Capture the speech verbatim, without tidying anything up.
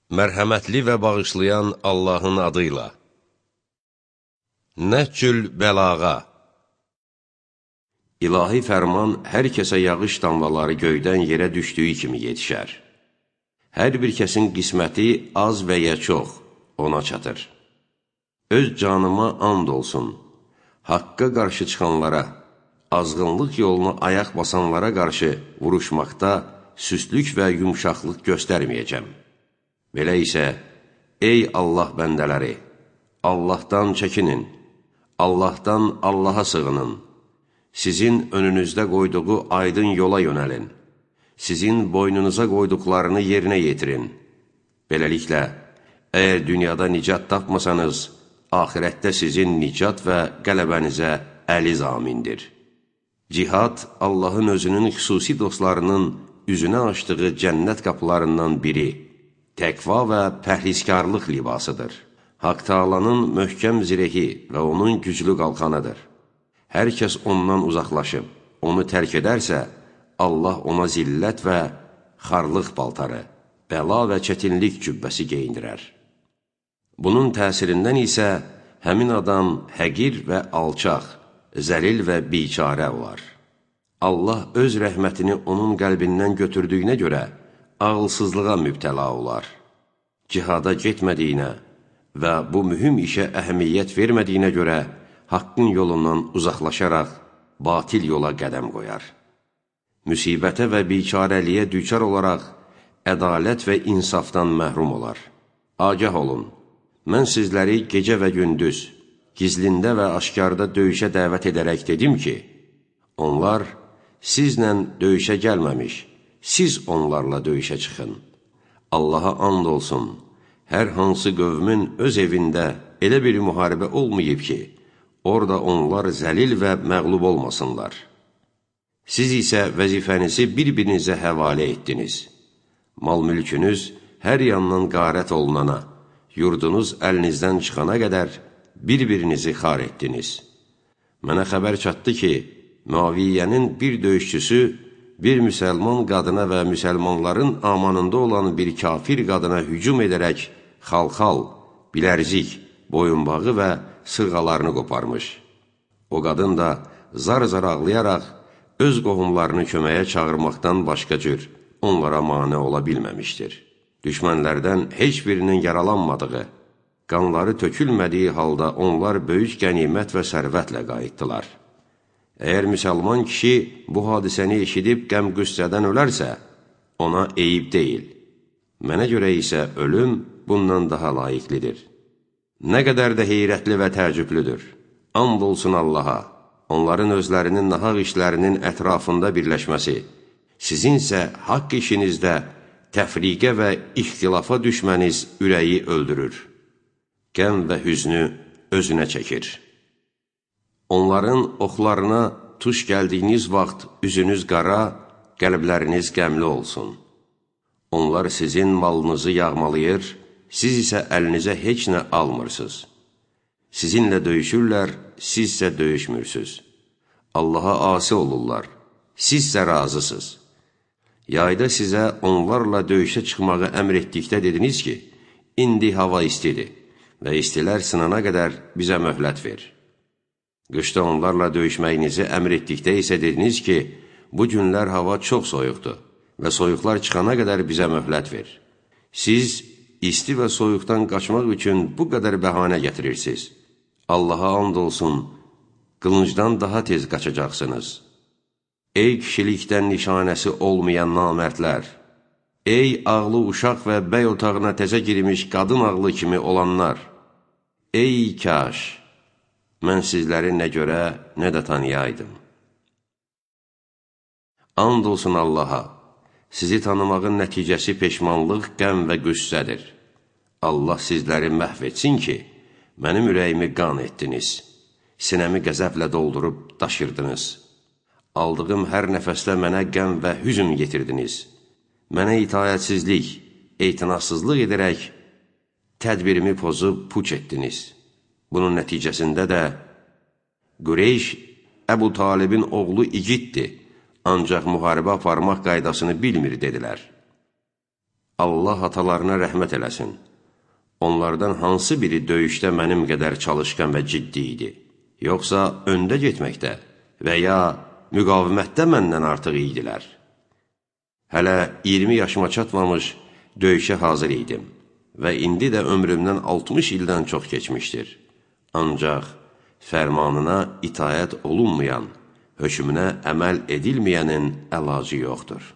Mərhəmətli və bağışlayan Allahın adıyla. Nəhcül bəlağa. İlahi fərman hər kəsə yağış damlaları göydən yerə düşdüyü kimi yetişər. Hər bir kəsin qisməti az və ya çox ona çatır. Öz canıma and olsun, haqqa qarşı çıxanlara, azğınlıq yoluna ayaq basanlara qarşı vuruşmaqda süstlük və yumşaqlıq göstərməyəcəm. Belə isə, ey Allah bəndələri, Allahdan çəkinin, Allahdan Allaha sığının, sizin önünüzdə qoyduğu aydın yola yönəlin, sizin boynunuza qoyduqlarını yerinə yetirin. Beləliklə, əgər dünyada nicat tapmasanız, axirətdə sizin nicat və qələbənizə əli zamindir. Cihad, Allahın özünün xüsusi dostlarının üzünə açdığı cənnət qapılarından biri, təqva və pəhrizkarlıq libasıdır. Haqq Taalanın möhkəm zirehi və onun güclü qalxanıdır. Hər kəs ondan uzaqlaşıb, onu tərk edərsə, Allah ona zillət və xarlıq paltarı, bəla və çətinlik cübbəsi geyindirər. Bunun təsirindən isə həmin adam həqir və alçaq, zəlil və biçarə olar. Allah öz rəhmətini onun qəlbindən götürdüyünə görə ağılsızlığa mübtəla olar. Cihada getmədiyinə və bu mühüm işə əhəmiyyət vermədiyinə görə haqqın yolundan uzaqlaşaraq batil yola qədəm qoyar. Müsibətə və biçarəliyə düçar olaraq ədalət və insafdan məhrum olar. Agah olun, mən sizləri gecə və gündüz, gizlində və aşkarda döyüşə dəvət edərək dedim ki, onlar sizlə döyüşə gəlməmiş, siz onlarla döyüşə çıxın. Allaha and olsun, hər hansı qövmün öz evində elə bir müharibə olmayıb ki, orada onlar zəlil və məğlub olmasınlar. Siz isə vəzifənizi bir-birinizə həvalə etdiniz. Mal-mülkünüz hər yandan qarət olunana, yurdunuz əlinizdən çıxana qədər bir-birinizi xar etdiniz. Mənə xəbər çatdı ki, Müaviyyənin bir döyüşçüsü bir müsəlman qadına və müsəlmanların amanında olan bir kafir qadına hücum edərək xalxal, bilərzik, boyunbağı və sırğalarını qoparmış. O qadın da zar-zar ağlayaraq öz qohumlarını köməyə çağırmaqdan başqa cür onlara mane ola bilməmişdir. Düşmənlərdən heç birinin yaralanmadığı, qanları tökülmədiyi halda onlar böyük qənimət və sərvətlə qayıtdılar. Əgər müsəlman kişi bu hadisəni eşidib qəm-qüssədən ölərsə, ona eyib deyil. Mənə görə isə ölüm bundan daha layiqlidir. Nə qədər də heyrətli və təəccüblüdür. And olsun Allaha, onların özlərinin nahaq işlərinin ətrafında birləşməsi, sizinsə haqq işinizdə təfriqə və ixtilafa düşməniz ürəyi öldürür. Qəm və hüznü özünə çəkir. Onların oxlarına tuş gəldiyiniz vaxt üzünüz qara, qəlbləriniz qəmli olsun. Onlar sizin malınızı yağmalayır, siz isə əlinizə heç nə almırsınız. Sizinlə döyüşürlər, sizsə döyüşmürsünüz. Allaha asi olurlar, sizsə razısınız. Yayda sizə onlarla döyüşə çıxmağı əmr etdikdə dediniz ki, indi hava istidir və istilər sınana qədər bizə möhlət ver. Qışda onlarla döyüşməyinizi əmr etdikdə isə dediniz ki, bu günlər hava çox soyuqdur və soyuqlar çıxana qədər bizə möhlət ver. Siz isti və soyuqdan qaçmaq üçün bu qədər bəhanə gətirirsiniz. Allaha and olsun, qılıncdan daha tez qaçacaqsınız. Ey kişilikdən nişanəsi olmayan namərdlər! Ey ağlı uşaq və bəy otağına təzə girmiş qadın ağlı kimi olanlar! Ey kaş! Mən sizləri nə görə, nə də tanıyaydım. And olsun Allaha, sizi tanımağın nəticəsi peşmanlıq, qəm və qüssədir. Allah sizləri məhv etsin ki, mənim ürəyimi qan etdiniz, sinəmi qəzəblə doldurub daşırdınız. Aldığım hər nəfəslə mənə qəm və hüzün getirdiniz. Mənə itayətsizlik, etinasızlıq edərək tədbirimi pozub puç etdiniz. Bunun nəticəsində də Qureyş Əbu Talibin oğlu igiddir, ancaq müharibə aparmaq qaydasını bilmir, dedilər. Allah atalarına rəhmət eləsin. Onlardan hansı biri döyüşdə mənim qədər çalışqan və ciddi idi? Yoxsa öndə getməkdə və ya müqavimətdə məndən artıq idilər? Hələ iyirmi yaşıma çatmamış döyüşə hazır idim və indi də ömrümdən altmış ildən çox keçmişdir. Ancaq fərmanına itayət olunmayan, hökmünə əməl edilməyənin əlacı yoxdur.